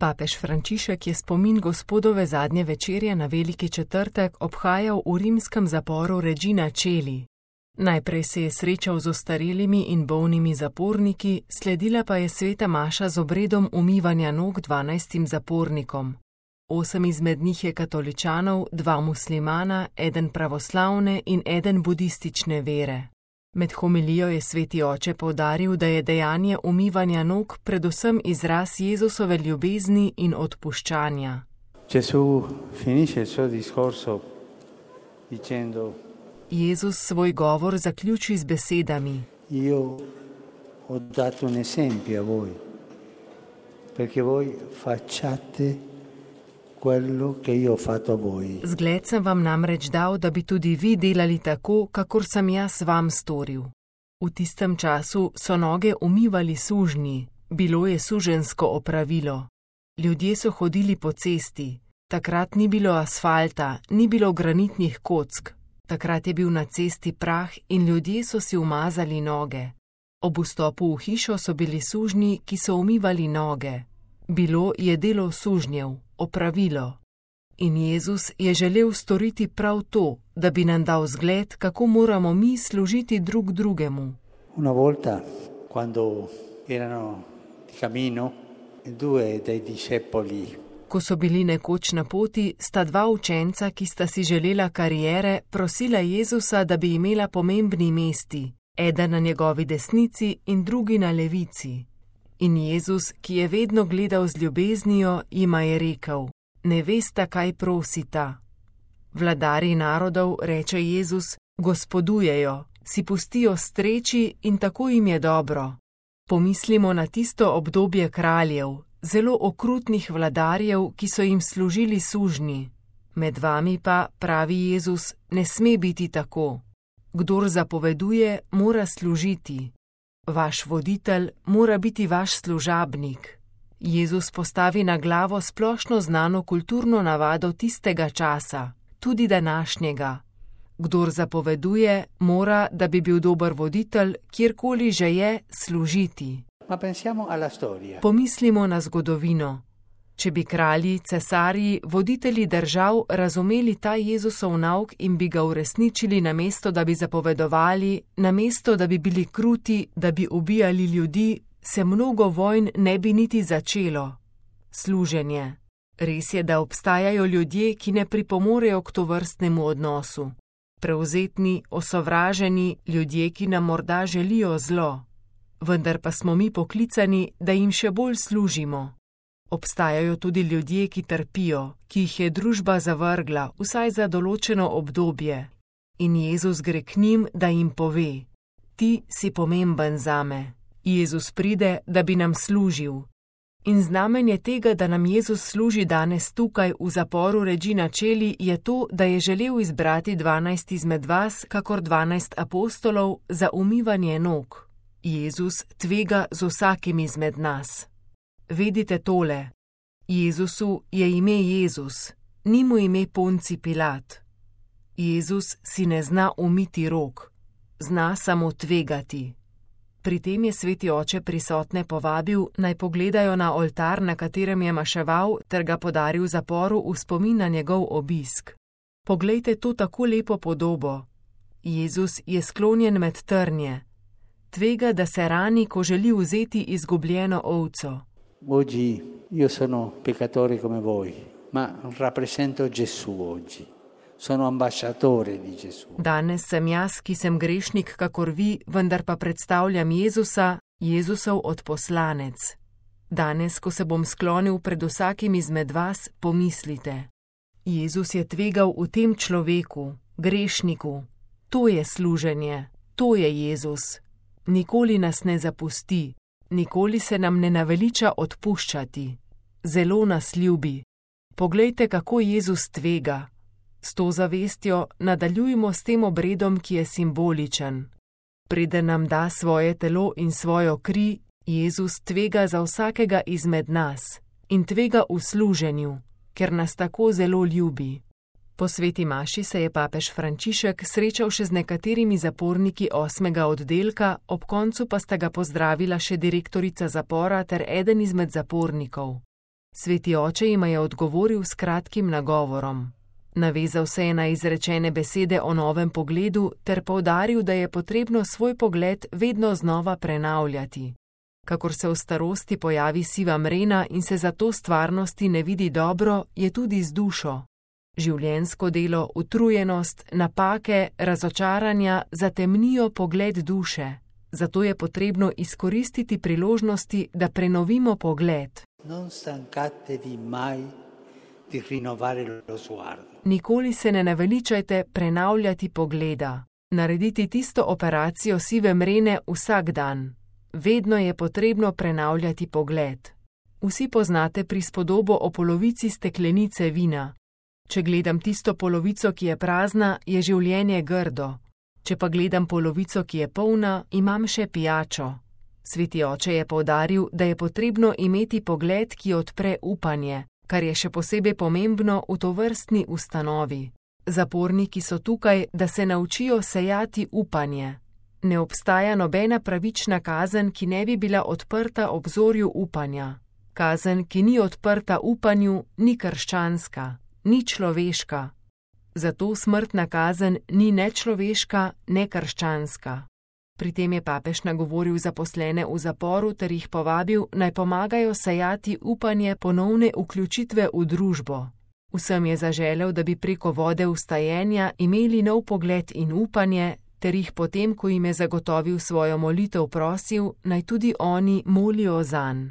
Papež Frančišek je spomin Gospodove zadnje večerje na Veliki četrtek obhajal v rimskem zaporu Regina Coeli. Najprej se je srečal z ostarelimi in bolnimi zaporniki, sledila pa je sveta maša z obredom umivanja nog 12 zapornikom. 8 izmed njih je katoličanov, 2 muslimana, 1 pravoslavne in 1 budistične vere. Med homilijo je sveti oče poudaril, da je dejanje umivanja nog predvsem izraz Jezusove ljubezni in odpuščanja. Gesù finisce il suo discorso dicendo: Jezus svoj govor zaključi z besedami: Io ho dato un esempio a voi, perché voi facciate quello che io ho fatto a voi. Zgled sem vam namreč dal, da bi tudi vi delali tako, kakor sem jaz vam storil. V tistem času so noge umivali sužnji, bilo je suženjsko opravilo. Ljudje so hodili po cesti, takrat ni bilo asfalta, ni bilo granitnih kock. Takrat je bil na cesti prah in ljudje so si umazali noge. Ob vstopu v hišo so bili sužnji, ki so umivali noge. Bilo je delo sužnjev, opravilo. In Jezus je želel storiti prav to, da bi nam dal zgled, kako moramo mi služiti drug drugemu. Una volta, quando erano di cammino, 2 dei discepoli. Ko so bili nekoč na poti, sta 2 učenca, ki sta si želela kariere, prosila Jezusa, da bi imela pomembni mesti, eden na njegovi desnici in drugi na levici. In Jezus, ki je vedno gledal z ljubeznijo, jima je rekel: Ne vesta, kaj prosita. Vladarji narodov, reče Jezus, gospodujejo, si pustijo streči in tako jim je dobro. Pomislimo na tisto obdobje kraljev, zelo okrutnih vladarjev, ki so jim služili sužnji. Med vami pa, pravi Jezus, ne sme biti tako. Kdor zapoveduje, mora služiti. Vaš voditelj mora biti vaš služabnik. Jezus postavi na glavo splošno znano kulturno navado tistega časa, tudi današnjega. Kdor zapoveduje, mora, da bi bil dober voditelj, kjerkoli že je, služiti. Pomislimo na zgodovino. Če bi kralji, cesarji, voditelji držav razumeli ta Jezusov nauk in bi ga uresničili, namesto da bi zapovedovali, namesto da bi bili kruti, da bi ubijali ljudi, se mnogo vojn ne bi niti začelo. Služenje. Res je, da obstajajo ljudje, ki ne pripomorejo k tovrstnemu odnosu. Prevzetni, osovraženi, ljudje, ki nam morda želijo zlo. Vendar pa smo mi poklicani, da jim še bolj služimo. Obstajajo tudi ljudje, ki trpijo, ki jih je družba zavrgla, vsaj za določeno obdobje. In Jezus gre k njim, da jim pove: Ti si pomemben zame. Jezus pride, da bi nam služil. In znamenje tega, da nam Jezus služi danes tukaj v zaporu Regina Coeli, je to, da je želel izbrati 12 izmed vas, kakor 12 apostolov, za umivanje nog. Jezus tvega z vsakim izmed nas. Vedite tole, Jezusu je ime Jezus, ni mu ime Ponci Pilat. Jezus si ne zna umiti rok, zna samo tvegati. Pri tem je sveti oče prisotne povabil, naj pogledajo na oltar, na katerem je maševal, ter ga podaril zaporu v spomin na njegov obisk. Poglejte to tako lepo podobo. Jezus je sklonjen med trnje. Tvega, da se rani, ko želi vzeti izgubljeno ovco. Oggi io sono peccatore come voi, ma rappresento Gesù oggi. Sono ambasciatore di Gesù. Danes sem jaz, ki sem grešnik kakor vi, vendar pa predstavljam Jezusa, Jezusov odposlanec. Danes, ko se bom sklonil pred vsakim izmed vas, pomislite. Jezus je tvegal v tem človeku, grešniku. To je služenje, to je Jezus. Nikoli nas ne zapusti, nikoli se nam ne naveliča odpuščati. Zelo nas ljubi. Poglejte, kako Jezus tvega. S to zavestjo nadaljujmo s tem obredom, ki je simboličen. Preden nam da svoje telo in svojo kri, Jezus tvega za vsakega izmed nas in tvega v služenju, ker nas tako zelo ljubi. Po sveti maši se je papež Frančišek srečal še z nekaterimi zaporniki 8. oddelka, ob koncu pa sta ga pozdravila še direktorica zapora ter eden izmed zapornikov. Sveti oče jima je odgovoril s kratkim nagovorom. Navezal se je na izrečene besede o novem pogledu ter poudaril, da je potrebno svoj pogled vedno znova prenavljati. Kakor se v starosti pojavi siva mrena in se zato stvarnosti ne vidi dobro, je tudi z dušo. Življenjsko delo, utrujenost, napake, razočaranja zatemnijo pogled duše. Zato je potrebno izkoristiti priložnosti, da prenovimo pogled. Non stancatevi mai di rinnovare lo sguardo. Nikoli se ne naveličajte prenavljati pogleda. Narediti tisto operacijo sive mrene vsak dan. Vedno je potrebno prenavljati pogled. Vsi poznate prispodobo o polovici steklenice vina. Če gledam tisto polovico, ki je prazna, je življenje grdo. Če pa gledam polovico, ki je polna, imam še pijačo. Sveti oče je poudaril, da je potrebno imeti pogled, ki odpre upanje, kar je še posebej pomembno v tovrstni ustanovi. Zaporniki so tukaj, da se naučijo sejati upanje. Ne obstaja nobena pravična kazen, ki ne bi bila odprta obzorju upanja. Kazen, ki ni odprta upanju, ni krščanska, ni človeška. Zato smrtna kazen ni ne človeška, ne krščanska. Pri tem je papež nagovoril zaposlene v zaporu ter jih povabil, naj pomagajo sejati upanje ponovne vključitve v družbo. Vsem je zaželel, da bi preko vode vstajenja imeli nov pogled in upanje, ter jih potem, ko jim je zagotovil svojo molitev, prosil, naj tudi oni molijo zanj.